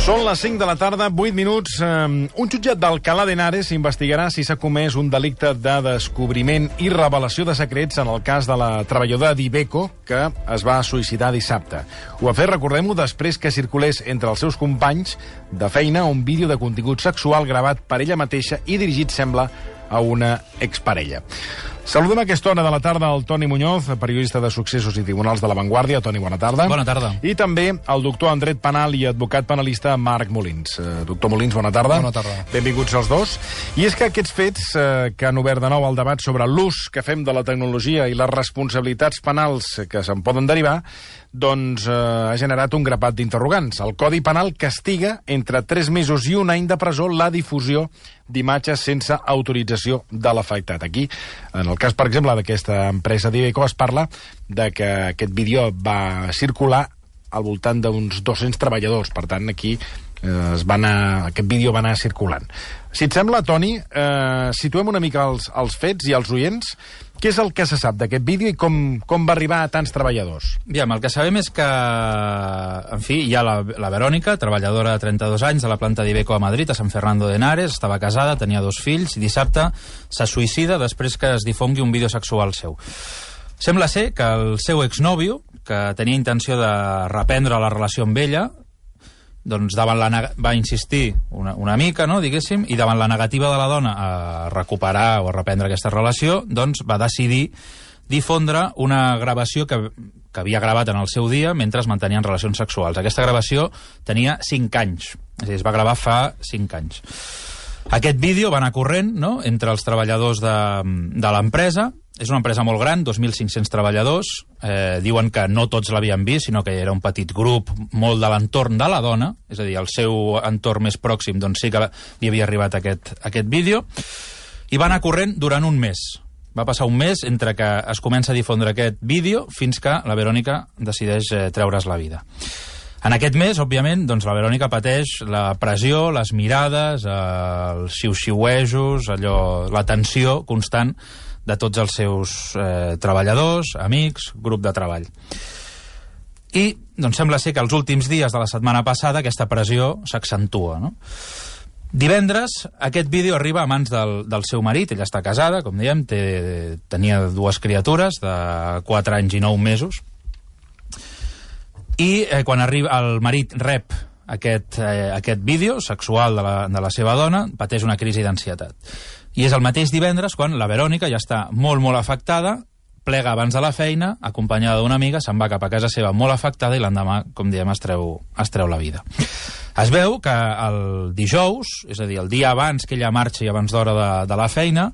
Són les 5 de la tarda, 8 minuts. Un jutjat d'Alcalá de Henares investigarà si s'ha comès un delicte de descobriment i revelació de secrets en el cas de la treballadora d'Iveco, que es va suïcidar dissabte. Ho ha fet, recordem-ho, després que circulés entre els seus companys de feina un vídeo de contingut sexual gravat per ella mateixa i dirigit, sembla, a una exparella. Saludem a aquesta hora de la tarda al Toni Muñoz, periodista de Successos i Tribunals de La Vanguardia. Toni, bona tarda. Bona tarda. I també el doctor en dret penal i advocat penalista Marc Molins. Doctor Molins, bona tarda. Bona tarda. Benvinguts els dos. I és que aquests fets que han obert de nou el debat sobre l'ús que fem de la tecnologia i les responsabilitats penals que se'n poden derivar, doncs ha generat un grapat d'interrogants. El Codi Penal castiga entre 3 mesos i 1 any de presó la difusió d'imatges sense autorització de l'afectat. Aquí, en el cas, per exemple, d'aquesta empresa d'Iveco, es parla de que aquest vídeo va circular al voltant d'uns 200 treballadors. Per tant, aquí aquest vídeo va anar circulant. Si et sembla, Toni, situem una mica els fets i els oients. Què és el que se sap d'aquest vídeo i com va arribar a tants treballadors? Aviam, el que sabem és que, en fi, hi ha la Verònica, treballadora de 32 anys de la planta d'Iveco a Madrid, a Sant Fernando de Henares, estava casada, tenia 2 fills, i dissabte se suïcida després que es difongui un vídeo sexual seu. Sembla ser que el seu exnòvio, que tenia intenció de reprendre la relació amb ella, doncs va insistir una mica, no, diguéssim, i davant la negativa de la dona a recuperar o a reprendre aquesta relació, doncs va decidir difondre una gravació que havia gravat en el seu dia mentre es mantenien relacions sexuals. Aquesta gravació tenia 5 anys, és a dir, es va gravar fa 5 anys. Aquest vídeo va anar corrent, no?, entre els treballadors de l'empresa. És una empresa molt gran, 2.500 treballadors. Diuen que no tots l'havien vist, sinó que era un petit grup molt de l'entorn de la dona, és a dir, el seu entorn més pròxim, doncs sí que li havia arribat aquest vídeo. I va anar corrent durant un mes. Va passar un mes entre que es comença a difondre aquest vídeo fins que la Verònica decideix treure's la vida. En aquest mes, òbviament, doncs la Verònica pateix la pressió, les mirades, els xiu-xiuejos, la tensió constant de tots els seus treballadors, amics, grup de treball. I doncs sembla ser que els últims dies de la setmana passada aquesta pressió s'accentua, no? Divendres aquest vídeo arriba a mans del seu marit. Ella està casada, com dèiem, tenia 2 criatures de 4 anys i 9 mesos. I quan el marit rep aquest vídeo sexual de la seva dona, pateix una crisi d'ansietat. I és el mateix divendres quan la Verònica ja està molt, molt afectada, plega abans de la feina, acompanyada d'una amiga, se'n va cap a casa seva molt afectada i l'endemà, com diem, es treu la vida. Es veu que el dijous, és a dir, el dia abans que ella marxi abans d'hora de la feina,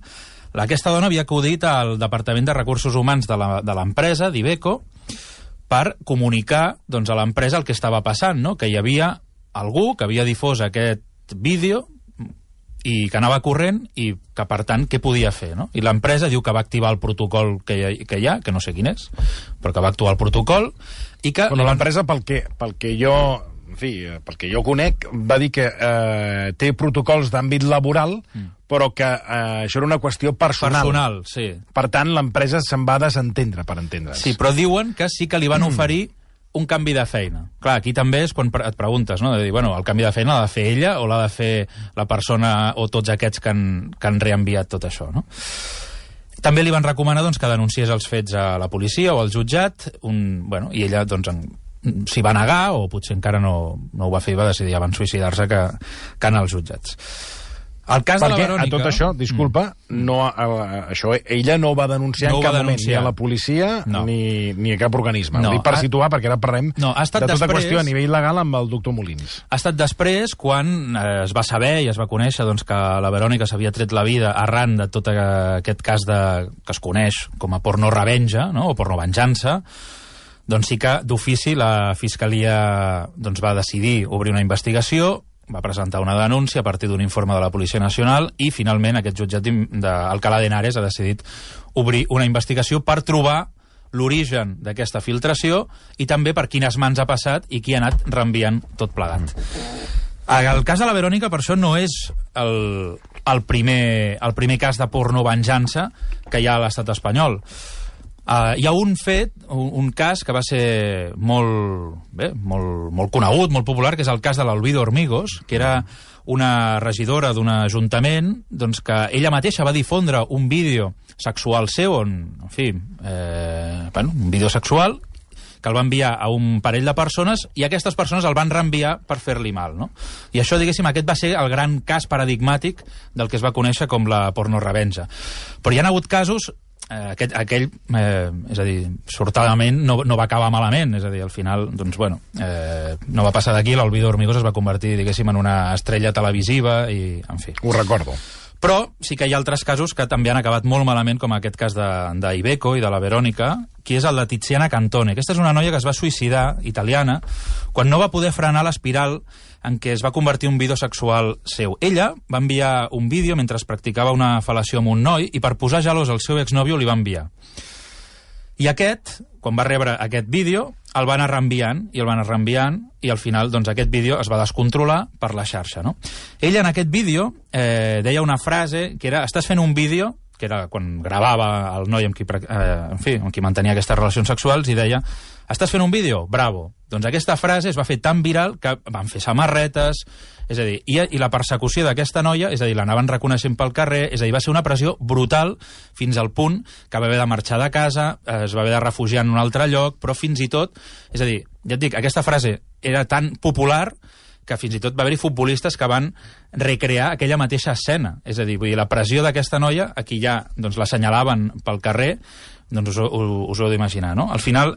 aquesta dona havia acudit al Departament de Recursos Humans de l'empresa, d'Iveco, per comunicar doncs, a l'empresa el que estava passant, no? Que hi havia algú que havia difós aquest vídeo i que anava corrent i que, per tant, què podia fer, no? I l'empresa diu que va activar el protocol que hi ha, que no sé quin és, però que va actuar el protocol i que... Bueno, l'empresa, pel que jo conec, va dir que té protocols d'àmbit laboral, però que això era una qüestió personal. Personal, sí. Per tant, l'empresa se'n va desentendre, per entendre's. Sí, però diuen que sí que li van oferir un canvi de feina. Clar, aquí també és quan et preguntes, no? De dir, bueno, el canvi de feina l'ha de fer ella o l'ha de fer la persona o tots aquests que han reenviat tot això, no? També li van recomanar doncs, que denunciés els fets a la policia o al jutjat, i ella doncs, s'hi va negar, o potser encara no ho va fer i va decidir abans suïcidar-se que anar als jutjats. El cas de la Verònica... a tot això, disculpa, ella no va denunciar en cap moment ni a la policia ni a cap organisme. No, per situar, perquè ara parlem de tota qüestió a nivell legal amb el doctor Molins. Ha estat després quan es va saber i es va conèixer doncs, que la Verònica s'havia tret la vida arran de tot aquest cas que es coneix com a porno revenja, no? O porno venjança. Doncs sí que d'ofici la Fiscalia doncs, va decidir obrir una investigació, va presentar una denúncia a partir d'un informe de la Policia Nacional i finalment aquest jutjat d'Alcalá de Henares ha decidit obrir una investigació per trobar l'origen d'aquesta filtració i també per quines mans ha passat i qui ha anat reenviant tot plegat. El cas de la Verònica, per això, no és el primer cas de porno venjança que hi ha a l'estat espanyol. Hi ha un fet, un cas que va ser molt conegut, molt popular, que és el cas de l'Olvido Hormigos, que era una regidora d'un ajuntament, doncs, que ella mateixa va difondre un vídeo sexual seu, un vídeo sexual, que el va enviar a un parell de persones i aquestes persones el van reenviar per fer-li mal, no? I això, diguéssim, aquest va ser el gran cas paradigmàtic del que es va conèixer com la pornorevenja. Però hi ha hagut casos, aquell, és a dir, sortadament no va acabar malament, és a dir, al final, doncs, no va passar d'aquí, l'Olvido Hormigos es va convertir, diguéssim, en una estrella televisiva i, en fi. Ho recordo. Però sí que hi ha altres casos que també han acabat molt malament, com aquest cas d'Iveco i de la Verònica, que és el de Tiziana Cantone. Aquesta és una noia que es va suïcidar, italiana, quan no va poder frenar l'espiral en què es va convertir en un vídeo sexual seu. Ella va enviar un vídeo mentre es practicava una fel·lació amb un noi i per posar gelós al seu exnòvio li va enviar. I aquest, quan va rebre aquest vídeo, el va anar reenviant i al final doncs, aquest vídeo es va descontrolar per la xarxa, no? Ella en aquest vídeo deia una frase que era: estàs fent un vídeo, que era quan gravava el noi amb qui mantenia aquestes relacions sexuals, i deia: estàs fent un vídeo? Bravo. Doncs aquesta frase es va fer tan viral que van fer samarretes, és a dir, i la persecució d'aquesta noia, és a dir, l'anaven reconeixent pel carrer, és a dir, va ser una pressió brutal fins al punt que va haver de marxar de casa, es va haver de refugiar en un altre lloc, però fins i tot, és a dir, ja et dic, aquesta frase era tan popular que fins i tot va haver-hi futbolistes que van recrear aquella mateixa escena. És a dir, vull dir, la pressió d'aquesta noia, a qui ja doncs, l'assenyalaven pel carrer, doncs us ho heu d'imaginar, no? Al final,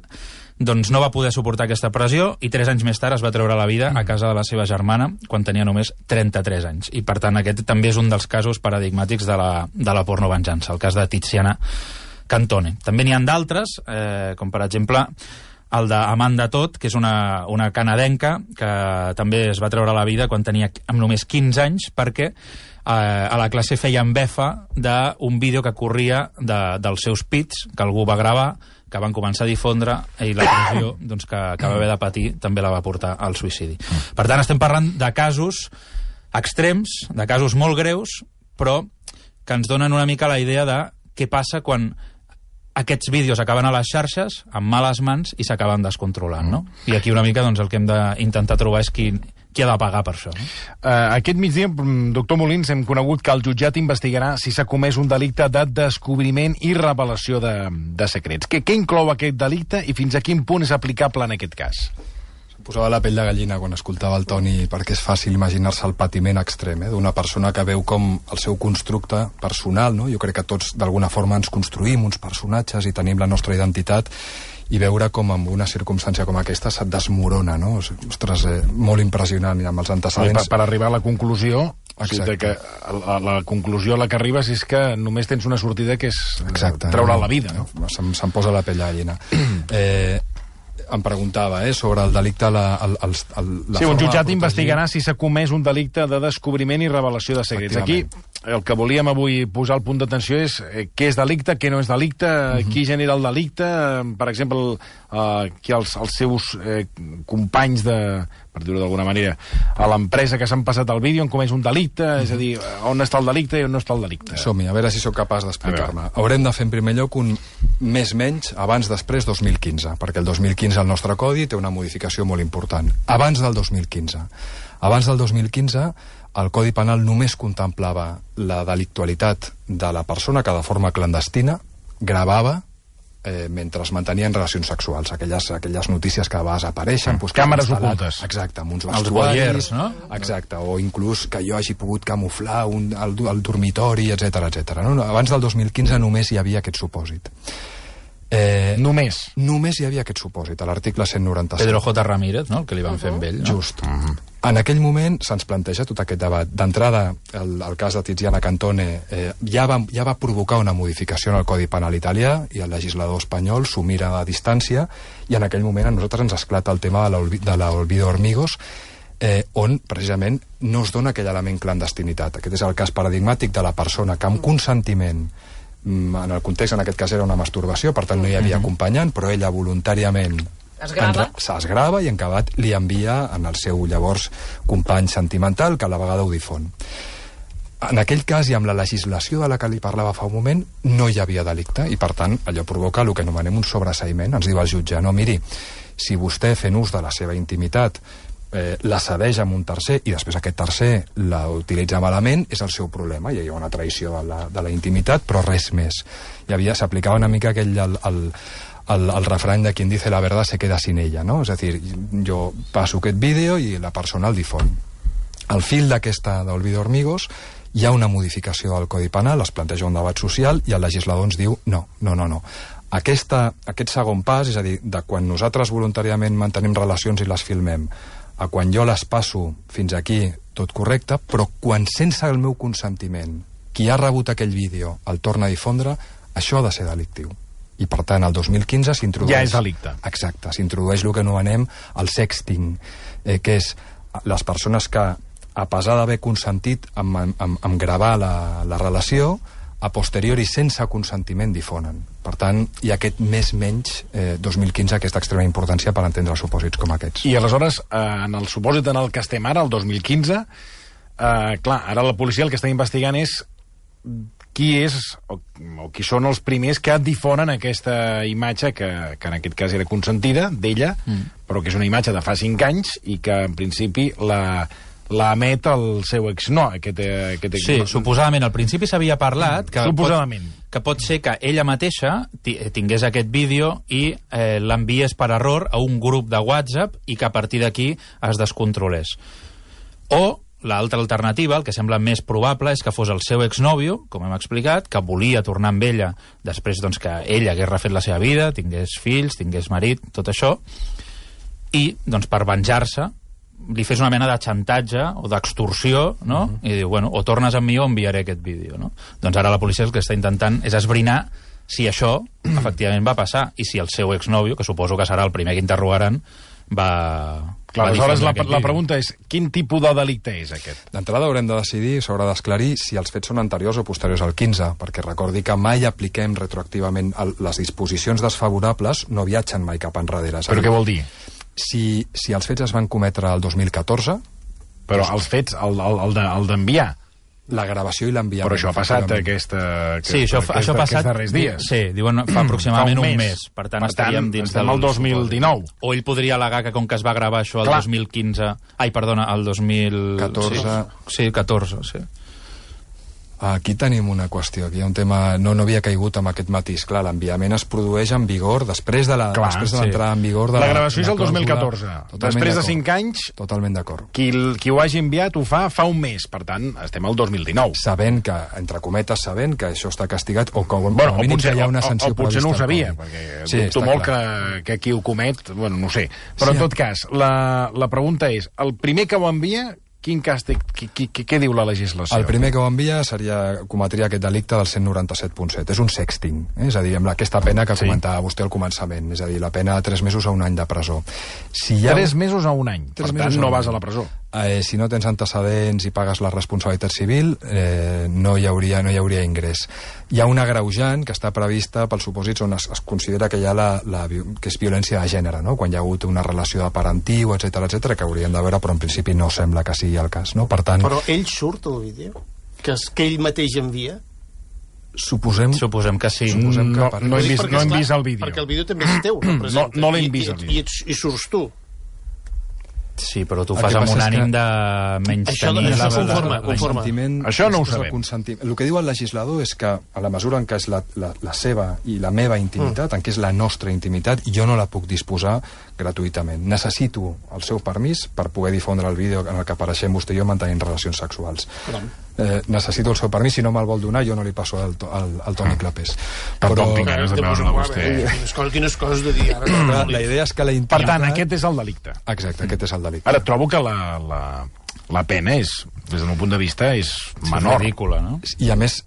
doncs no va poder suportar aquesta pressió i 3 anys més tard es va treure la vida a casa de la seva germana quan tenia només 33 anys. I per tant aquest també és un dels casos paradigmàtics de la pornovenjança, el cas de Tiziana Cantone. També n'hi ha d'altres, com per exemple el d'Amanda Todd, que és una canadenca que també es va treure la vida quan tenia amb només 15 anys perquè a la classe feien befa d'un vídeo que corria dels seus pits, que algú va gravar, que van començar a difondre, i la pressió doncs, que va haver de patir també la va portar al suïcidi. Per tant, estem parlant de casos extrems, de casos molt greus, però que ens donen una mica la idea de què passa quan aquests vídeos acaben a les xarxes amb males mans i s'acaben descontrolant, no? I aquí una mica doncs, el que hem d'intentar trobar és qui ha de pagar per això. No? Aquest migdia, doctor Molins, hem conegut que el jutjat investigarà si s'ha comès un delicte de descobriment i revelació de secrets. Què inclou aquest delicte i fins a quin punt és aplicable en aquest cas? Posava la pell de gallina quan escoltava el Toni, perquè és fàcil imaginar-se el patiment extrem d'una persona que veu com el seu constructe personal, no? Jo crec que tots d'alguna forma ens construïm uns personatges i tenim la nostra identitat, i veure com en una circumstància com aquesta se't desmorona, no? Ostres, molt impressionant, i amb els antecedents... Per arribar a la conclusió, o sigui que la conclusió a la que arribes és que només tens una sortida, que és treure la vida, no? Se'm posa la pell de gallina. Em preguntava sobre el delicte... Sí, un jutjat investigarà si s'ha comès un delicte de descobriment i revelació de secrets. Aquí el que volíem avui posar al punt d'atenció és què és delicte, què no és delicte, qui genera el delicte, per exemple, qui els seus companys per dir-ho d'alguna manera, a l'empresa que s'han passat el vídeo han comès un delicte, és a dir, on està el delicte i on no està el delicte. Som-hi, a veure si sóc capaç d'explicar-me. Haurem de fer en primer lloc un més-menys abans-després 2015, perquè el 2015 el nostre codi té una modificació molt important. Abans del 2015. Abans del 2015 el Codi Penal només contemplava la delictualitat de la persona que de forma clandestina gravava mentre es mantenien relacions sexuals, aquelles notícies que a vegades apareixen, càmeres ocultes, exacte, amb uns vestuaris, no? Exacte, o inclús que jo hagi pogut camuflar el dormitori, etc. No? Abans del 2015 només hi havia aquest supòsit. Només hi havia aquest supòsit, a l'article 197. Pedro J. Ramírez, no? El que li van fer amb ell, no? Just. En aquell moment se'ns planteja tot aquest debat. D'entrada, el cas de Tiziana Cantone ja va provocar una modificació en el Codi Penal italià i el legislador espanyol s'ho mira a distància, i en aquell moment a nosaltres ens esclata el tema de l'Olvido Hormigos, on precisament no es dona aquell element clandestinitat. Aquest és el cas paradigmàtic de la persona que amb consentiment, en el context en aquest cas era una masturbació, per tant no hi havia acompanyant, però ella voluntàriament es grava i en acabat li envia en el seu llavors company sentimental, que a la vegada ho difon. En aquell cas, i amb la legislació de la que li parlava fa un moment, no hi havia delicte, i per tant allò provoca el que anomenem un sobreseïment. Ens diu el jutge, no, miri, si vostè fent ús de la seva intimitat la cedeix amb un tercer i després aquest tercer la utilitza malament, és el seu problema, i hi ha una traïció de la intimitat, però res més. S'aplicava una mica aquell el refrany de quien dice la verdad se queda sin ella, no? És a dir, jo passo aquest vídeo i la persona el difon. Al fil del vídeo Hormigos hi ha una modificació del Codi Penal, es planteja un debat social i el legislador ens diu no. Aquest segon pas, és a dir, de quan nosaltres voluntàriament mantenim relacions i les filmem, a quan jo les passo fins aquí, tot correcte, però quan sense el meu consentiment qui ha rebut aquell vídeo el torna a difondre, això ha de ser delictiu. I per tant, el 2015 s'introdueix... Ja és delicte. Exacte, s'introdueix el que anomenem el sexting, que és les persones que, a pesar d'haver consentit en gravar la relació, a posteriori, sense consentiment, difonen. Per tant, hi ha aquest més-menys 2015, aquesta extrema importància per entendre supòsits com aquests. I aleshores, en el supòsit en el que estem ara, el 2015, clar, ara la policia el que està investigant és qui és o qui són els primers que difonen aquesta imatge que en aquest cas era consentida, d'ella, però que és una imatge de fa 5 anys i que en principi la emet el seu ex... No, Sí, suposadament. Al principi s'havia parlat que pot ser que ella mateixa tingués aquest vídeo i l'enviés per error a un grup de WhatsApp i que a partir d'aquí es descontrolés. O l'altra alternativa, el que sembla més probable, és que fos el seu exnòvio, com hem explicat, que volia tornar amb ella després que ella hagués refet la seva vida, tingués fills, tingués marit, tot això, i per venjar-se li fes una mena de xantatge o d'extorsió, no? I diu, bueno, o tornes amb mi o enviaré aquest vídeo, no? Doncs ara la policia el que està intentant és esbrinar si això efectivament va passar i si el seu exnòvio, que suposo que serà el primer que interrogaran, va... Clar, aleshores la pregunta és, quin tipus de delicte és aquest? D'entrada haurem de decidir, s'haurà d'esclarir si els fets són anteriors o posteriors al 15, perquè recordi que mai apliquem retroactivament les disposicions desfavorables, no viatgen mai cap enrere. Però què vol dir? Si els fets es van cometre el 2014... Però els fets, el d'enviar... La gravació i l'enviament. Però això ha passat això ha passat darrers dies. Sí, diuen fa aproximadament un mes. Per tant, estaríem dins del 2019. O ell podria al·legar que com que es va gravar això el 2015... Ai, perdona, el 2014. Sí, 14, sí. Aquí tenim una qüestió, aquí hi ha un tema... No havia caigut amb aquest matís. Clar, l'enviament es produeix en vigor després de l'entrada en vigor de la gravació és el 2014. Després de 5 anys... Totalment d'acord. Qui ho hagi enviat ho fa un mes. Per tant, estem al 2019. Sabent que, entre cometes, sabent que això està castigat, o com a mínim que hi ha una sanció prevista. O potser no ho sabia, perquè dubto molt que qui ho comet... Bueno, no ho sé. Però en tot cas, la pregunta és, el primer que ho envia... Quin càstig? Què diu la legislació? El primer que ho envia cometria aquest delicte del 197.7. És un sexting, és a dir, amb aquesta pena que comentava vostè al començament, és a dir, la pena de 3 mesos a 1 any de presó. 3 mesos a 1 any, per tant no vas a la presó. Si no tens antecedents i pagues la responsabilitat civil, no hi hauria ingrés. Hi ha una agreujant que està prevista pels supòsits on es considera que hi ha que és violència de gènere, no? Quan hi ha hagut una relació de parentiu, etc que hauríem de veure, però en principi no sembla que sigui el cas, no? Per tant... Però ell surt al vídeo? Que ell mateix envia? Suposem que sí. No hem vist el vídeo. Perquè el vídeo també és teu, representa. No l'hem vist el vídeo. I surts tu. Sí, però tu ho fas amb un ànim de menys tenir... Això no ho sabem. El que diu el legislador és que, a la mesura en què és la seva i la meva intimitat, en què és la nostra intimitat, jo no la puc disposar gratuïtament. Necessito el seu permís per poder difondre el vídeo en el que apareixem vostè i jo mantenint relacions sexuals. Necessito el seu permís, si no me'l vol donar jo no li passo al Toni Clapés. Però... Quines coses de dir ara. La idea és que la intimitat... Per tant, aquest és el delicte. Exacte, aquest és el delicte. Ara, trobo que la pena és, des del meu punt de vista, és menor. És ridícula, no? I a més,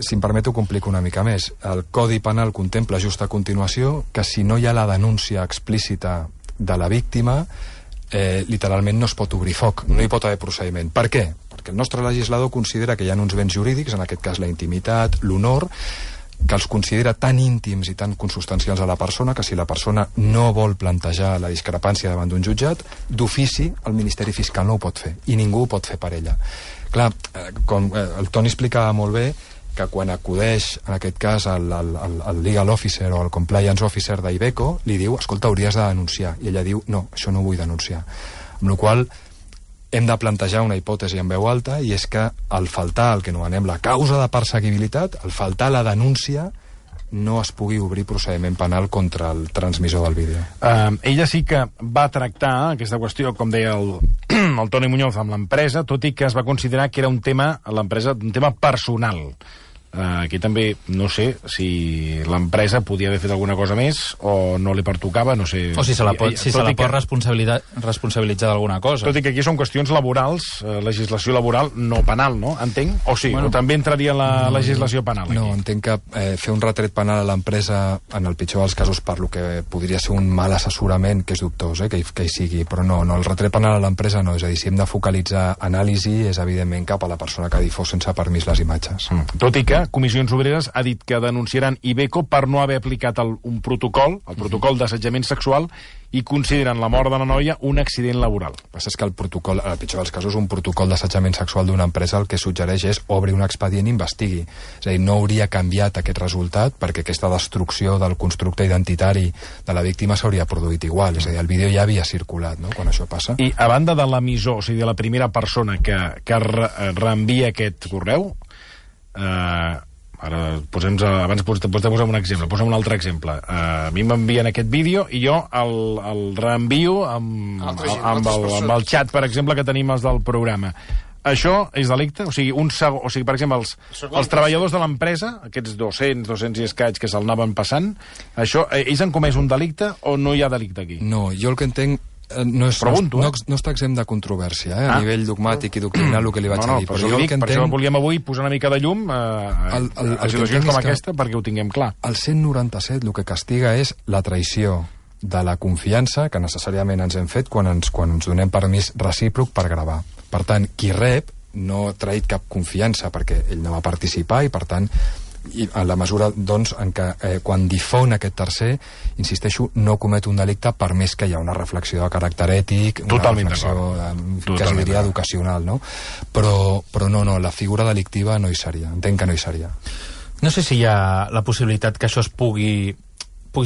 si em permet, ho complico una mica més. El Codi Penal contempla just a continuació que si no hi ha la denúncia explícita de la víctima, literalment no es pot obrir foc, no hi pot haver procediment. Per què? Perquè el nostre legislador considera que hi ha uns béns jurídics, en aquest cas la intimitat, l'honor, que els considera tan íntims i tan consubstancials a la persona que si la persona no vol plantejar la discrepància davant d'un jutjat, d'ofici el Ministeri Fiscal no ho pot fer, i ningú ho pot fer per ella. Clar, com el Toni explicava molt bé, que quan acudeix, en aquest cas, el legal officer o el compliance officer d'Iveco, li diu, escolta, hauries de denunciar. I ella diu, no, això no ho vull denunciar. Amb la qual cosa, hem de plantejar una hipòtesi en veu alta, i és que al faltar el que anomenem la causa de perseguibilitat, al faltar la denúncia, no es pugui obrir procediment penal contra el transmissor del vídeo. Ella sí que va tractar aquesta qüestió, com deia el Toni Muñoz, amb l'empresa, tot i que es va considerar que era un tema, l'empresa, un tema personal. Aquí també no sé si l'empresa podia haver fet alguna cosa més o no li pertocava, no sé. O si se la pot responsabilitzar d'alguna cosa. Tot i que aquí són qüestions laborals, legislació laboral, no penal, no? Entenc? O sí, bueno, o també entraria la legislació penal aquí. No, entenc que fer un retret penal a l'empresa, en el pitjor dels casos, per lo que podria ser un mal assessorament, que és dubtós, que hi sigui, però no, el retret penal a l'empresa no, és a dir, si hem de focalitzar anàlisi, és evidentment cap a la persona que difós sense permís les imatges. Tot i que Comissions Obreres ha dit que denunciaran Iveco per no haver aplicat un protocol, el protocol d'assetjament sexual, i consideren la mort de la noia un accident laboral. El que passa és que el protocol, en el pitjor dels casos, un protocol d'assetjament sexual d'una empresa el que suggereix és obrir un expedient i investigui. És a dir, no hauria canviat aquest resultat perquè aquesta destrucció del constructe identitari de la víctima s'hauria produït igual. És a dir, el vídeo ja havia circulat, no?, quan això passa. I a banda de l'emissor, o sigui, de la primera persona que reenvia aquest correu, ara, abans de posar un exemple, posem un altre exemple. A mi m'envien aquest vídeo i jo el reenvio amb el xat, per exemple, que tenim els del programa. Això és delicte? O sigui, per exemple, els treballadors de l'empresa, aquests 200 i escaig que se'l anaven passant, això, ells han comès un delicte o no hi ha delicte aquí? No, jo el que entenc no està exempt de controvèrsia, a nivell dogmàtic i doctrinal, el que li vaig dir. Per això volíem avui posar una mica de llum a situacions com aquesta, perquè ho tinguem clar. El 197 el que castiga és la traïció de la confiança que necessàriament ens hem fet quan ens donem permís recíproc per gravar. Per tant, qui rep no ha traït cap confiança perquè ell no va participar i, per tant, i en la mesura, doncs, en què quan difon aquest tercer, insisteixo, no comet un delicte per més que hi ha una reflexió de caràcter ètic, una reflexió que es diria educacional, no? Però no, la figura delictiva no hi seria, entenc que no hi seria. No sé si hi ha la possibilitat que això es pugui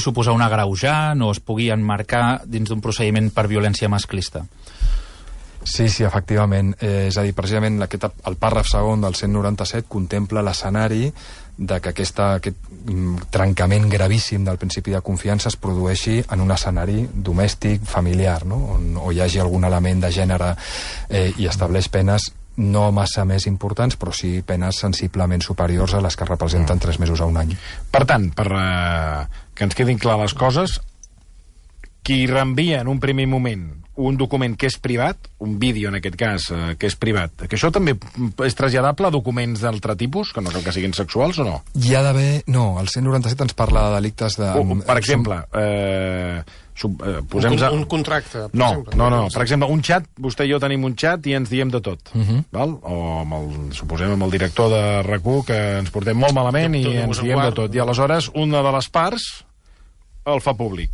suposar un agreujant o es pugui emmarcar dins d'un procediment per violència masclista. Sí, efectivament. És a dir, precisament el pàrraf segon del 197 contempla l'escenari de que aquest trencament gravíssim del principi de confiança es produeixi en un escenari domèstic, familiar, no?, on hi hagi algun element de gènere i estableix penes no massa més importants, però sí penes sensiblement superiors a les que representen 3 mesos a un any. Per tant, per que ens quedin clar les coses, qui reenvia en un primer moment un document que és privat, un vídeo en aquest cas que és privat, que això també és traslladable a documents d'altre tipus, que no cal que siguin sexuals o no? Hi ha d'haver... No, el 197 ens parla de delictes de... Per exemple, un contracte, per exemple. No, per exemple, un xat, vostè i jo tenim un xat i ens diem de tot, val? O suposem amb el director de RAC1 que ens portem molt malament i ens diem de tot, i aleshores una de les parts el fa públic.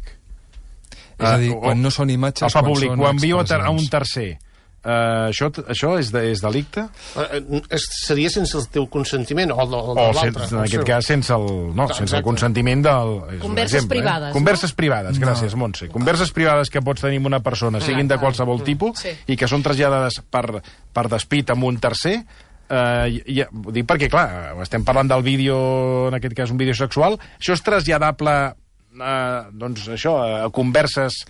És a dir, quan no són imatges... El fa públic, ho envio a un tercer. Això és delicte? Seria sense el teu consentiment o l'altre? En aquest cas sense el consentiment del... Converses privades. Converses privades, gràcies, Montse. Converses privades que pots tenir amb una persona, siguin de qualsevol tipus, i que són traslladades per despit amb un tercer. Ho dic perquè, clar, estem parlant del vídeo, en aquest cas un vídeo sexual, això és traslladable doncs això, a converses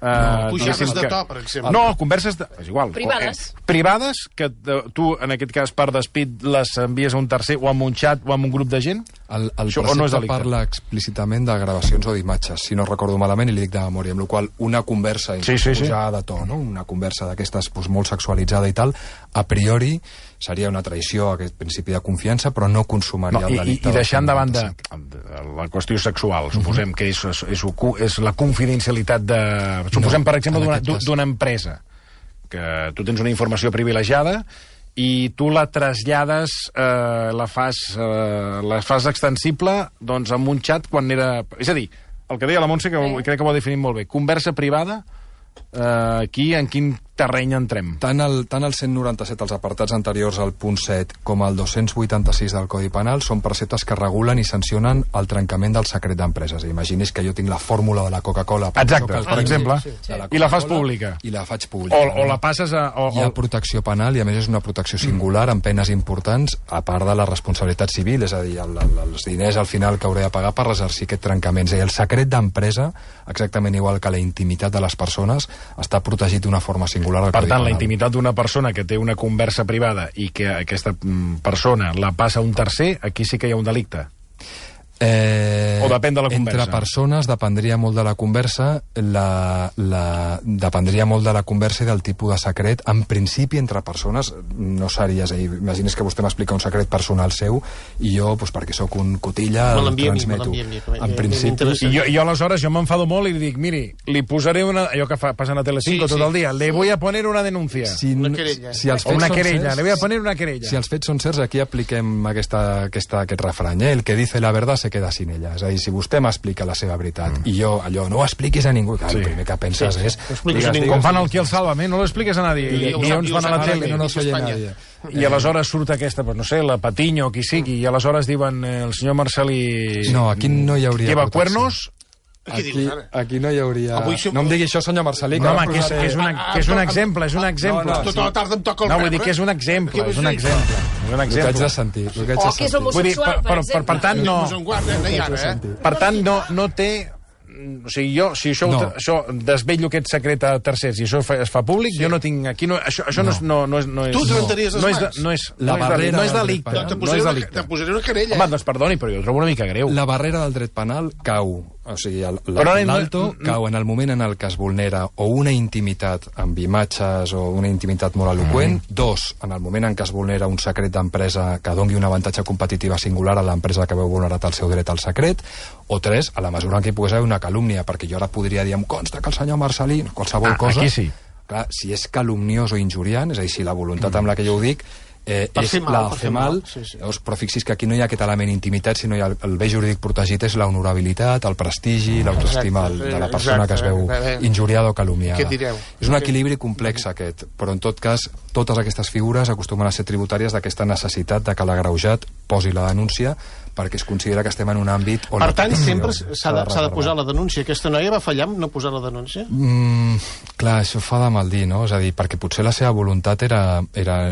pujades de to, per exemple. No, converses és igual. Privades, que tu, en aquest cas, per despit, les envies a un tercer o amb un xat o amb un grup de gent? El precepte parla explícitament de gravacions o d'imatges, si no recordo malament, i li dic de memòria, amb la qual una conversa pujada de to, no? Una conversa d'aquestes molt sexualitzada i tal, a priori seria una traïció a aquest principi de confiança, però no consumaria el delicte. I deixant de banda la qüestió sexual, suposem que és la confidencialitat de... Suposem, per exemple, d'una empresa, que tu tens una informació privilegiada i tu la trasllades, la fas extensible doncs, amb un xat quan era... És a dir, el que deia la Montse, que crec que ho ha definit molt bé, conversa privada, aquí en quin terreny entrem? Tant el 197, els apartats anteriors al punt 7, com el 286 del Codi Penal són preceptes que regulen i sancionen el trencament del secret d'empreses. Imagini's que jo tinc la fórmula de la Coca-Cola. Exacte, per exemple, i la fas pública. I la faig pública. O la passes a... Hi ha protecció penal i, a més, és una protecció singular amb penes importants, a part de la responsabilitat civil, és a dir, els diners al final que hauré de pagar per exercir aquest trencament. És a dir, el secret d'empresa, exactament igual que la intimitat de les persones, està protegit d'una forma singular. Per tant, la intimitat d'una persona que té una conversa privada i que aquesta persona la passa a un tercer, aquí sí que hi ha un delicte. O depèn de la conversa? Entre persones dependria molt de la conversa, dependria molt de la conversa i del tipus de secret. En principi, entre persones, no seria... Imagines que vostè m'explica un secret personal seu i jo, doncs, perquè sóc un cotilla, el transmeto. En principi... I jo aleshores m'enfado molt i dic, miri, li posaré una... Allò que passen a Telecinco tot el dia, le voy a poner una denuncia. Una querella. O una querella, le voy a poner una querella. Si els fets són certs, aquí apliquem aquest refrany, el que dice la verdad se queda sin ella. És a dir, si vostè m'explica la seva veritat i jo allò no ho expliquis a ningú, el primer que penses és... Com fan el Qui el Sálvame, no lo expliques a nadie. I llavors van a la tele. No soy nadie. I aleshores surt aquesta, pues no sé, la Patiño, qui sigui, i aleshores diuen el senyor Marcelí... No, aquí no hi hauria... Lleva cuernos... Aquí no hi hauria... No em digui això, senyor Marcelí. No, home, que és un exemple, és un exemple. Tota la tarda em toca el No, vull dir que és un exemple, és un exemple. El que haig de sentir. O que és homosexual, per exemple. Per tant, no... Per tant, no té... O sigui, jo, si això desvetllo aquest secret a tercers i això es fa públic, jo no tinc... Aquí això no és... Tu trentaries les mans. No és delicte. Te posaré una querella. Home, doncs perdoni, però jo ho trobo una mica greu. La barrera del dret penal cau. O sigui, l'alto cau en el moment en el que es vulnera o una intimitat amb imatges o una intimitat molt eloqüent, dos, en el moment en què es vulnera un secret d'empresa que dongui un avantatge competitiva singular a l'empresa que veu vulnerat el seu dret al secret, o tres, a la mesura en què hi pogués haver una calúmnia, perquè jo ara podria dir, em consta que el senyor Marcelí, qualsevol cosa... Aquí sí. Clar, si és calumniós o injuriant, és a dir, si la voluntat amb la que jo ho dic és la de fer mal, però fixis que aquí no hi ha aquest element intimitat, sinó el bé jurídic protegit és la honorabilitat, el prestigi, l'autoestima de la persona que es veu injuriada o calumniada. És un equilibri complex aquest, però en tot cas totes aquestes figures acostumen a ser tributàries d'aquesta necessitat de que l'agreujat posi la denúncia perquè es considera que estem en un àmbit on... Per tant, sempre s'ha de posar la denúncia. Aquesta noia va fallar amb no posar la denúncia? Clar, això fa de mal dir, no? És a dir, perquè potser la seva voluntat era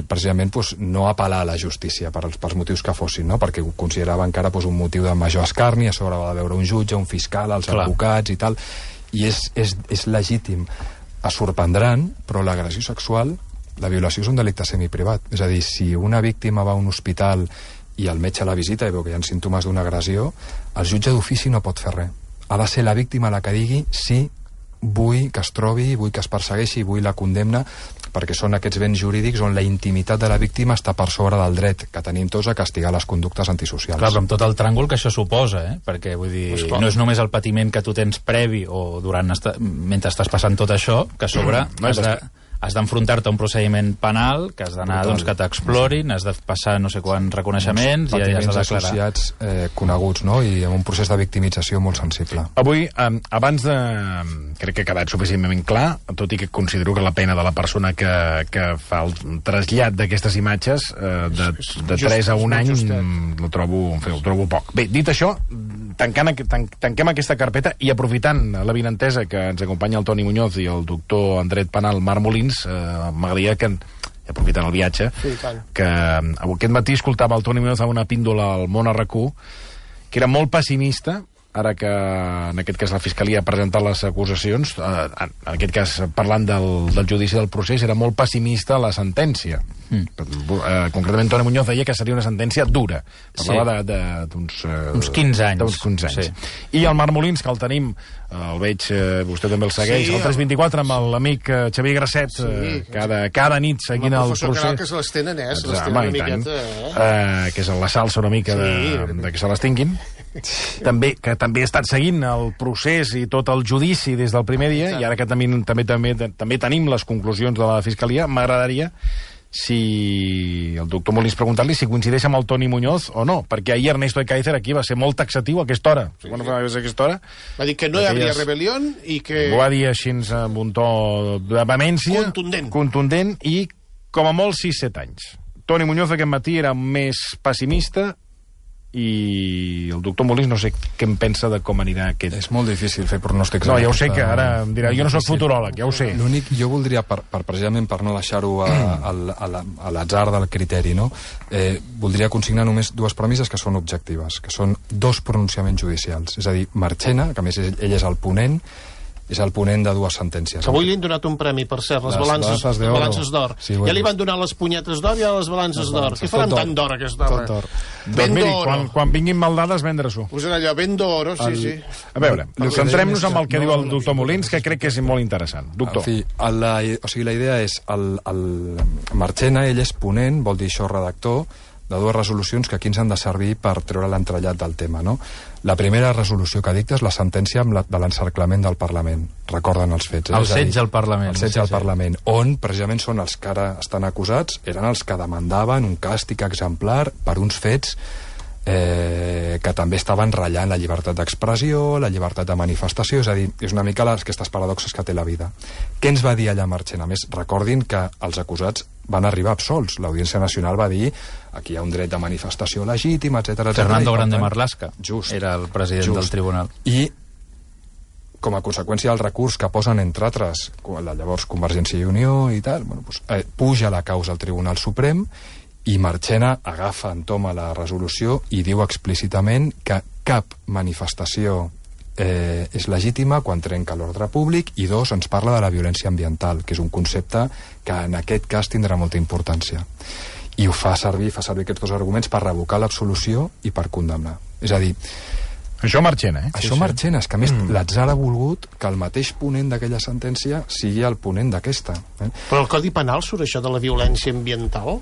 precisament no apel·lar a la justícia pels motius que fossin, no? Perquè ho considerava encara un motiu de major escarni, a sobre va de veure un jutge, un fiscal, els advocats i tal, i és legítim. Es sorprendran, però l'agressió sexual, la violació és un delicte semiprivat. És a dir, si una víctima va a un hospital i el metge la visita i veu que hi ha símptomes d'una agressió, el jutge d'ofici no pot fer res. Ha de ser la víctima la que digui sí, vull que es trobi, vull que es persegueixi, vull la condemna, perquè són aquests béns jurídics on la intimitat de la víctima està per sobre del dret que tenim tots a castigar les conductes antisocials. Clar, però amb tot el tràngol que això suposa, perquè vull dir, no és només el patiment que tu tens previ o mentre estàs passant tot això, que a sobre has d'enfrontar-te a un procediment penal, que has d'anar, doncs, que t'explorin, has de passar no sé quants reconeixements i has de declarar. Associats coneguts, no? I amb un procés de victimització molt sensible. Avui, abans de... Crec que ha quedat suficientment clar, tot i que considero que la pena de la persona que fa el trasllat d'aquestes imatges de 3 a 1 any ho trobo poc. Bé, dit això, tanquem aquesta carpeta i aprofitant la vinentesa que ens acompanya el Toni Muñoz i el doctor en dret penal Marc Molins, m'agradaria que, aprofitant el viatge, que aquest matí escoltava el Toni Muñoz a una píndola al Món RQ, que era molt pessimista, ara que en aquest cas la Fiscalia ha presentat les acusacions, en aquest cas parlant del judici del procés, era molt pessimista la sentència. Concretament Toni Muñoz deia que seria una sentència dura. Parlava d'uns 15 anys. D'uns 15 anys. I el Marc Molins, que el tenim, el veig, vostè també el segueix, el 324 amb l'amic Xavier Grasset, cada nit seguint el procés. El professor Canal, que se les tenen, se les tenen una miqueta, que és la salsa una mica de que se les tinguin. Que també ha estat seguint el procés i tot el judici des del primer dia, i ara que també tenim les conclusions de la Fiscalia, m'agradaria si el doctor Molins preguntar-li si coincideix amb el Toni Muñoz o no, perquè ahir Ernesto Ekaizer aquí va ser molt taxatiu a aquesta hora. Sí. Quan va ser a aquesta hora? Va dir que no hi havia rebel·lió i que... Ho va dir així amb un to de vehemència. Contundent i com a molt 6-7 anys. Toni Muñoz aquest matí era més pessimista i el doctor Molins no sé què em pensa de com anirà aquest... És molt difícil fer pronòstics. No, ja ho sé, que ara em dirà, jo no soc futuròleg, ja ho sé. L'únic, jo voldria, precisament per no deixar-ho a l'atzar del criteri, no? Voldria consignar només dues premisses que són objectives, que són dos pronunciaments judicials. És a dir, Marchena, que a més ell és el ponent, és el ponent de dues sentències. Que avui li han donat un premi, per cert, les balances d'or. Sí, ja li van donar les punyetes d'or i les balances d'or. Què faran tant d'or, aquesta hora? Tot d'or. Doncs miri, quan vinguin maldades, vendre-s'ho. Posarà allò, ben d'oro, sí. A veure, centrem-nos en el que diu el doctor Molins, que crec que és molt interessant. Doctor. En fi, la idea és, el Marchena, ell és ponent, vol dir això redactor, de dues resolucions que aquí ens han de servir per treure l'entrellat del tema, no? La primera resolució que dicta és la sentència de l'encerclament del Parlament. Recorden els fets. El setge al Parlament. El setge al Parlament, on precisament són els que ara estan acusats, eren els que demandaven un càstig exemplar per uns fets que també estaven ratllant la llibertat d'expressió, la llibertat de manifestació, és a dir, és una mica aquestes paradoxes que té la vida. Què ens va dir allà Marchena? A més, recordin que els acusats van arribar absolts. L'Audiència Nacional va dir aquí hi ha un dret de manifestació legítim, etc. Fernando Grande Marlaska era el president del tribunal. I com a conseqüència del recurs que posen, entre altres, la llavors Convergència i Unió i tal, puja la causa al Tribunal Suprem i Marchena agafa, entoma la resolució i diu explícitament que cap manifestació és legítima quan trenca l'ordre públic i dos, ens parla de la violència ambiental, que és un concepte que en aquest cas tindrà molta importància. I ho fa servir aquests dos arguments per revocar l'absolució i per condemnar. És a dir, això Marchena, Això Marchena, és que a més l'atzar ha volgut que el mateix ponent d'aquella sentència sigui el ponent d'aquesta. Però al Codi Penal surt això de la violència ambiental?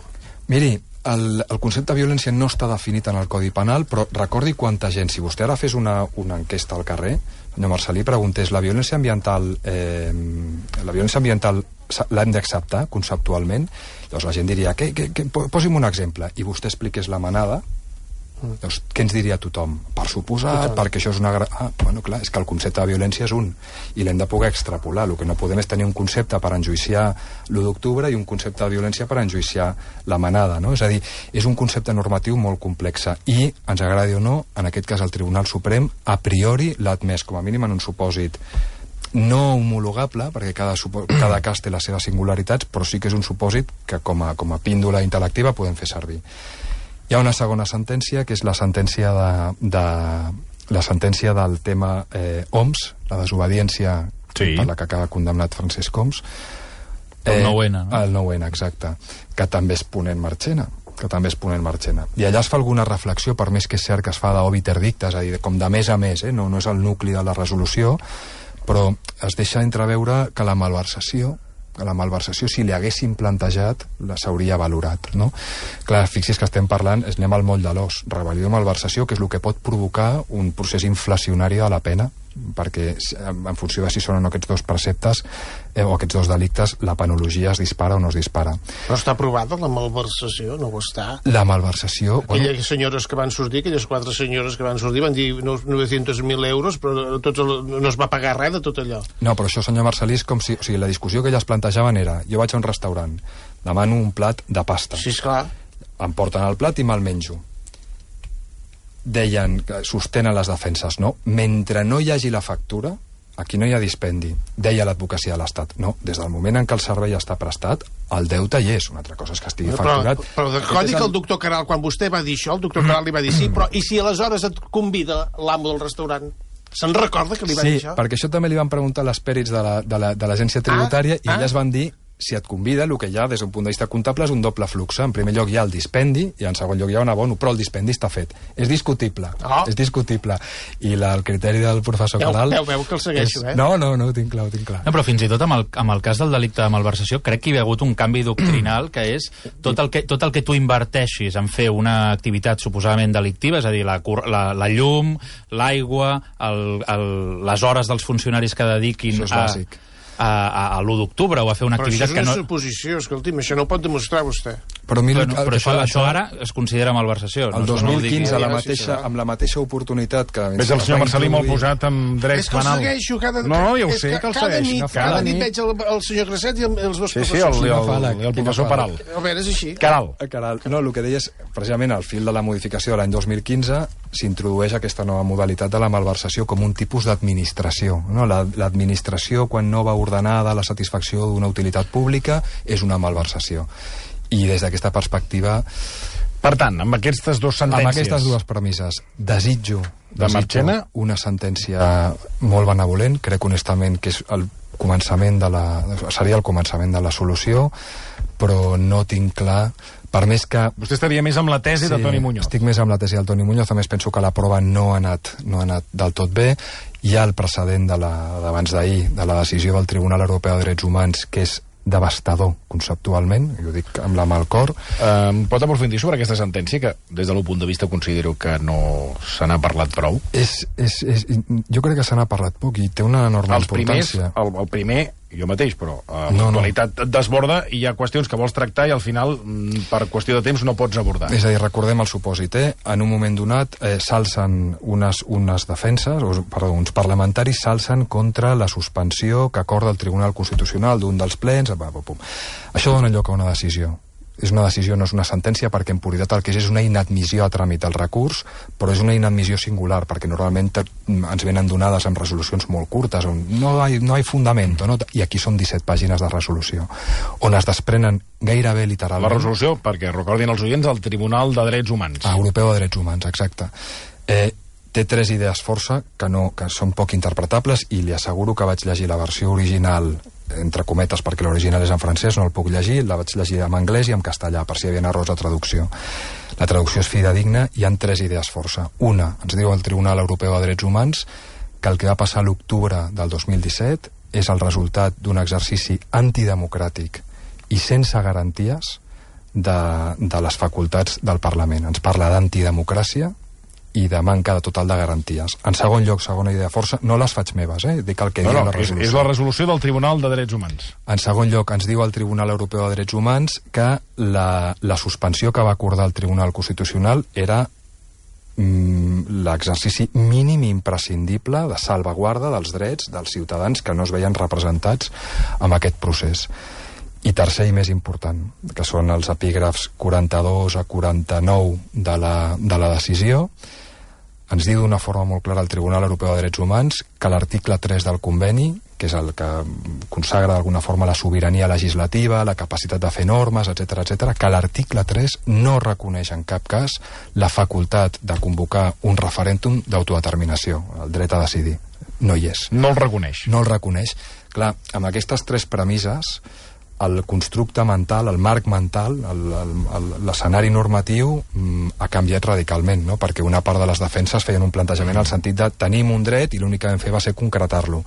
Miri, el concepte de violència no està definit en el Codi Penal, però recordi quanta gent, si vostè ara fes una enquesta al carrer, senyor Marcelí, preguntés, la violència ambiental l'hem d'acceptar conceptualment? Llavors la gent diria, posi'm un exemple, i vostè expliqués la manada, doncs, què ens diria tothom? Per suposat, perquè això és una... bueno, clar, és que el concepte de violència és un, i l'hem de poder extrapolar. El que no podem és tenir un concepte per enjuiciar l'1 d'octubre i un concepte de violència per enjuiciar la manada, no? És a dir, és un concepte normatiu molt complex, i, ens agradi o no, en aquest cas el Tribunal Suprem, a priori l'ha admès, com a mínim en un supòsit no homologable, perquè cada cas té les seves singularitats, però sí que és un supòsit que com a píndola intel·lectiva podem fer servir. Hi ha una segona sentència, que és la sentència del tema Homs, la desobediència per la que acaba condemnat Francesc Homs. El 9-N. El 9-N, exacte. Que també és ponent Marchena. I allà es fa alguna reflexió, per més que és cert que es fa d'obiter dicta, és a dir, com de més a més, no és el nucli de la resolució, però es deixa entreveure que la malversació, si li haguessin plantejat, s'hauria valorat, no? Clar, fixi's que estem parlant, anem al moll de l'os, rebel·lió i malversació, que és el que pot provocar un procés inflacionari de la pena, perquè en funció de si són o no aquests dos preceptes o aquests dos delictes, la penologia es dispara o no es dispara. Però està aprovada la malversació? No ho està? La malversació... Aquelles senyores que van sortir, aquelles 4 senyores que van sortir, van dir 900.000 euros, però no es va pagar res de tot allò. No, però això, senyor Marcelí, és com si... O sigui, la discussió que elles plantejaven era, jo vaig a un restaurant, demano un plat de pasta. Sí, esclar. Em porten el plat i me'l menjo. Deien, sostenen les defenses, no? Mentre no hi hagi la factura, aquí no hi ha dispendi. Deia l'advocacia de l'Estat. No, des del moment en què el servei està prestat, el deute hi és. Una altra cosa és que estigui facturat. Però recodi que el doctor Caral, quan vostè va dir això, el doctor Caral li va dir sí, però i si aleshores et convida l'amo del restaurant? Se'n recorda que li va dir això? Sí, perquè això també li van preguntar a les pèrits de l'agència tributària i elles van dir, si et convida, el que hi ha des d'un punt de vista comptable és un doble flux. En primer lloc hi ha el dispendi i en segon lloc hi ha un abono, però el dispendi està fet. És discutible. És discutible. I el criteri del professor Caral... Veu que el segueixo, No, ho tinc clar. No, però fins i tot amb el cas del delicte de malversació crec que hi ha hagut un canvi doctrinal que és tot el que tu inverteixis en fer una activitat suposadament delictiva, és a dir, la llum, l'aigua, les hores dels funcionaris que dediquin això és bàsic. a l'1 d'octubre o a fer una activitat que no... Però això és una suposició, escolti'm, això no ho pot demostrar vostè. Però això ara es considera malversació. El 2015, amb la mateixa oportunitat que... Ves el senyor Marcelí molt posat amb drets penals. És que el segueixo cada... No, ja ho sé, que el segueixo. Cada nit veig el senyor Crasset i els meus professors. Sí, el professor Peral. A veure, és així. Caral. No, el que deia és, precisament, al fil de la modificació de l'any 2015 s'introdueix aquesta nova modalitat de la malversació com un tipus d'administració. L'administració, quan no va ordenada la satisfacció d'una utilitat pública, és una malversació. I des d'aquesta perspectiva... Per tant, amb aquestes dues sentències... Amb aquestes dues premisses, desitjo una sentència molt benevolent, crec honestament que és seria el començament de la solució, però no tinc clar... Per més que... Vostè estaria més amb la tesi de Toni Muñoz. Estic més amb la tesi del Toni Muñoz, a més penso que la prova no ha anat del tot bé. Hi ha el precedent d'abans d'ahir, de la decisió del Tribunal Europeu de Drets Humans, que és devastador conceptualment, i ho dic amb la mà al cor. Pot aprofundir sobre aquesta sentència, que des del meu punt de vista considero que no se n'ha parlat prou? Jo crec que se n'ha parlat poc i té una enorme importància. El primer, jo mateix, però l'actualitat desborda i hi ha qüestions que vols tractar i al final, per qüestió de temps, no pots abordar. És a dir, recordem el supòsit, en un moment donat s'alcen unes defenses, uns parlamentaris s'alcen contra la suspensió que acorda el Tribunal Constitucional d'un dels plens. Això dona lloc a una decisió. És una decisió, no és una sentència, perquè en puritat el que és una inadmissió a tràmit del recurs, però és una inadmissió singular, perquè normalment ens venen donades amb resolucions molt curtes, on no hi ha fundamento, no? I aquí són 17 pàgines de resolució, on es desprenen gairebé literalment... La resolució, perquè recordin els oients, el Tribunal de Drets Humans. Europeu de Drets Humans, exacte. Té 3 idees força que són poc interpretables, i li asseguro que vaig llegir la versió original, entre cometes, perquè l'original és en francès, no el puc llegir, la vaig llegir en anglès i en castellà, per si hi havia errors de traducció. La traducció és fidedigna, hi han 3 idees força. Una, ens diu el Tribunal Europeu de Drets Humans que el que va passar a l'octubre del 2017 és el resultat d'un exercici antidemocràtic i sense garanties de les facultats del Parlament. Ens parla d'antidemocràcia i de manca de total de garanties. En segon lloc, segona idea força, no les faig meves, dic el que diu la resolució. És la resolució del Tribunal de Drets Humans. En segon lloc, ens diu el Tribunal Europeu de Drets Humans que la suspensió que va acordar el Tribunal Constitucional era l'exercici mínim imprescindible de salvaguarda dels drets dels ciutadans que no es veien representats amb aquest procés. I tercer i més important, que són els epígrafs 42 a 49 de la decisió, ens diu d'una forma molt clara el Tribunal Europeu de Drets Humans que l'article 3 del conveni, que és el que consagra d'alguna forma la sobirania legislativa, la capacitat de fer normes, etc., que l'article 3 no reconeix en cap cas la facultat de convocar un referèndum d'autodeterminació, el dret a decidir. No hi és. No el reconeix. No el reconeix. Clar, amb aquestes 3 premisses, el constructe mental, el marc mental, l'escenari normatiu ha canviat radicalment, no? Perquè una part de les defenses feien un plantejament al sentit de tenim un dret i l'únic que vam fer va ser concretar-lo.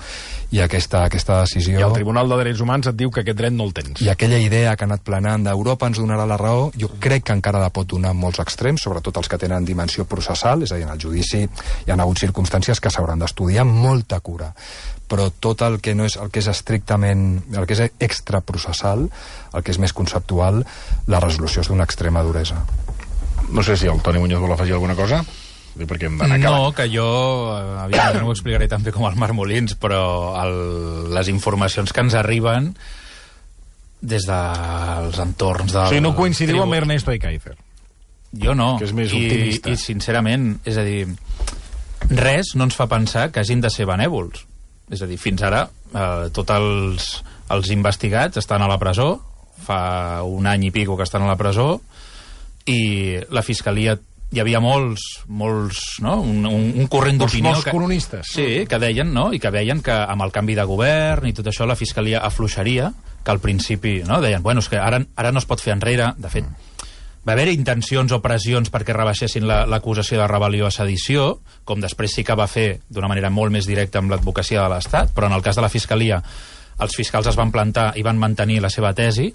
I aquesta decisió... I el Tribunal de Drets Humans et diu que aquest dret no el tens. I aquella idea que ha anat planant d'Europa ens donarà la raó, jo crec que encara la pot donar en molts extrems, sobretot els que tenen dimensió processal, és a dir, en el judici hi ha hagut circumstàncies que s'hauran d'estudiar amb molta cura. Però tot el que no és el que és estrictament, el que és extraprocessal, el que és més conceptual, la resolució és d'una extrema duresa. No sé si el Toni Muñoz vol afegir alguna cosa. Perquè hem d'anar acabant. No, que jo no ho explicaré tan bé com el Marc Molins, però les informacions que ens arriben des dels entorns del... O sigui, no coincidiu amb Ernesto Ekaizer. Jo no. Que és més optimista. I sincerament, és a dir, res no ens fa pensar que hagin de ser benèvols. És a dir, fins ara tots els investigats estan a la presó, fa un any i pico que estan a la presó, i la Fiscalia, hi havia molts no? un corrent d'opinió... Molts coronistes. Sí, que deien, no? I que veien que amb el canvi de govern i tot això la Fiscalia afluixaria, que al principi, no? Deien, bueno, és que ara no es pot fer enrere. De fet, va haver intencions o pressions perquè rebaixessin l'acusació de rebel·lió a sedició, com després sí que va fer d'una manera molt més directa amb l'advocacia de l'Estat, però en el cas de la Fiscalia els fiscals es van plantar i van mantenir la seva tesi,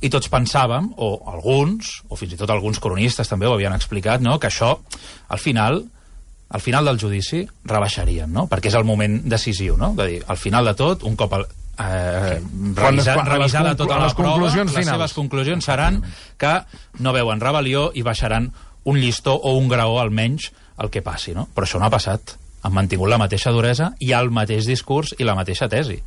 i tots pensàvem, o alguns, o fins i tot alguns cronistes també ho havien explicat, no? Que això, al final del judici, rebaixarien, no? Perquè és el moment decisiu, no? De dir, al final de tot, un cop revisada tota la prova, les seves conclusions seran que no veuen rebel·lió i baixaran un llistó o un graó almenys el que passi, no? Però això no ha passat. Han mantingut la mateixa duresa i el mateix discurs i la mateixa tesi.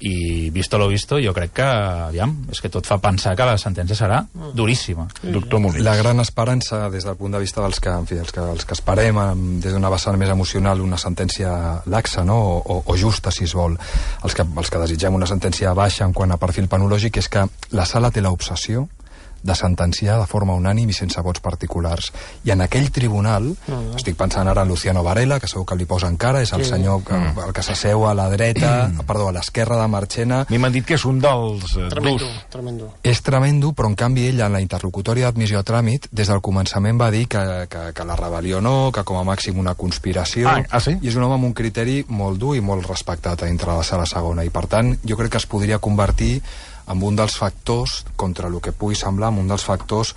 I visto lo visto, jo crec que, aviam, és que tot fa pensar que la sentència serà duríssima. Doctor Molins. La gran esperança, des del punt de vista dels que, en fi, els que esperem des d'una vessant més emocional una sentència laxa, no? o justa, si es vol. Els que desitgem una sentència baixa en quant a perfil penològic és que la sala té l'obsessió de sentenciar de forma unànim i sense vots particulars. I en aquell tribunal, estic pensant ara en Luciano Varela, que segur que li posa encara, és el senyor el que s'asseu a la dreta, perdó, a l'esquerra de Marchena. A mi m'han dit que és un dels durs. Tremendo. És tremendo, però en canvi ell, en la interlocutòria d'admissió a tràmit, des del començament va dir que la rebel·lió no, que com a màxim una conspiració. Sí? I és un home amb un criteri molt dur i molt respectat dintre la sala segona. I per tant, jo crec que es podria convertir amb un dels factors, contra el que pugui semblar, amb un dels factors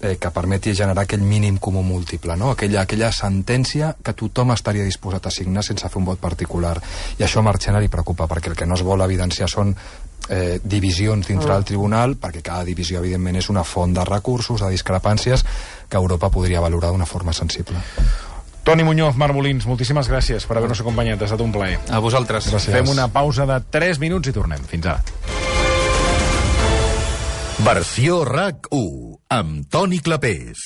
que permeti generar aquell mínim comú múltiple, no? Aquella sentència que tothom estaria disposat a signar sense fer un vot particular. I això a Marchena li preocupa, perquè el que no es vol evidenciar són divisions dintre del tribunal, perquè cada divisió, evidentment, és una font de recursos, de discrepàncies, que Europa podria valorar d'una forma sensible. Toni Muñoz, Marc Molins, moltíssimes gràcies per haver-nos acompanyat. Ha estat un plaer. A vosaltres. Gràcies. Fem una pausa de 3 minuts i tornem. Fins ara. Versió RAC 1 amb Toni Clapés.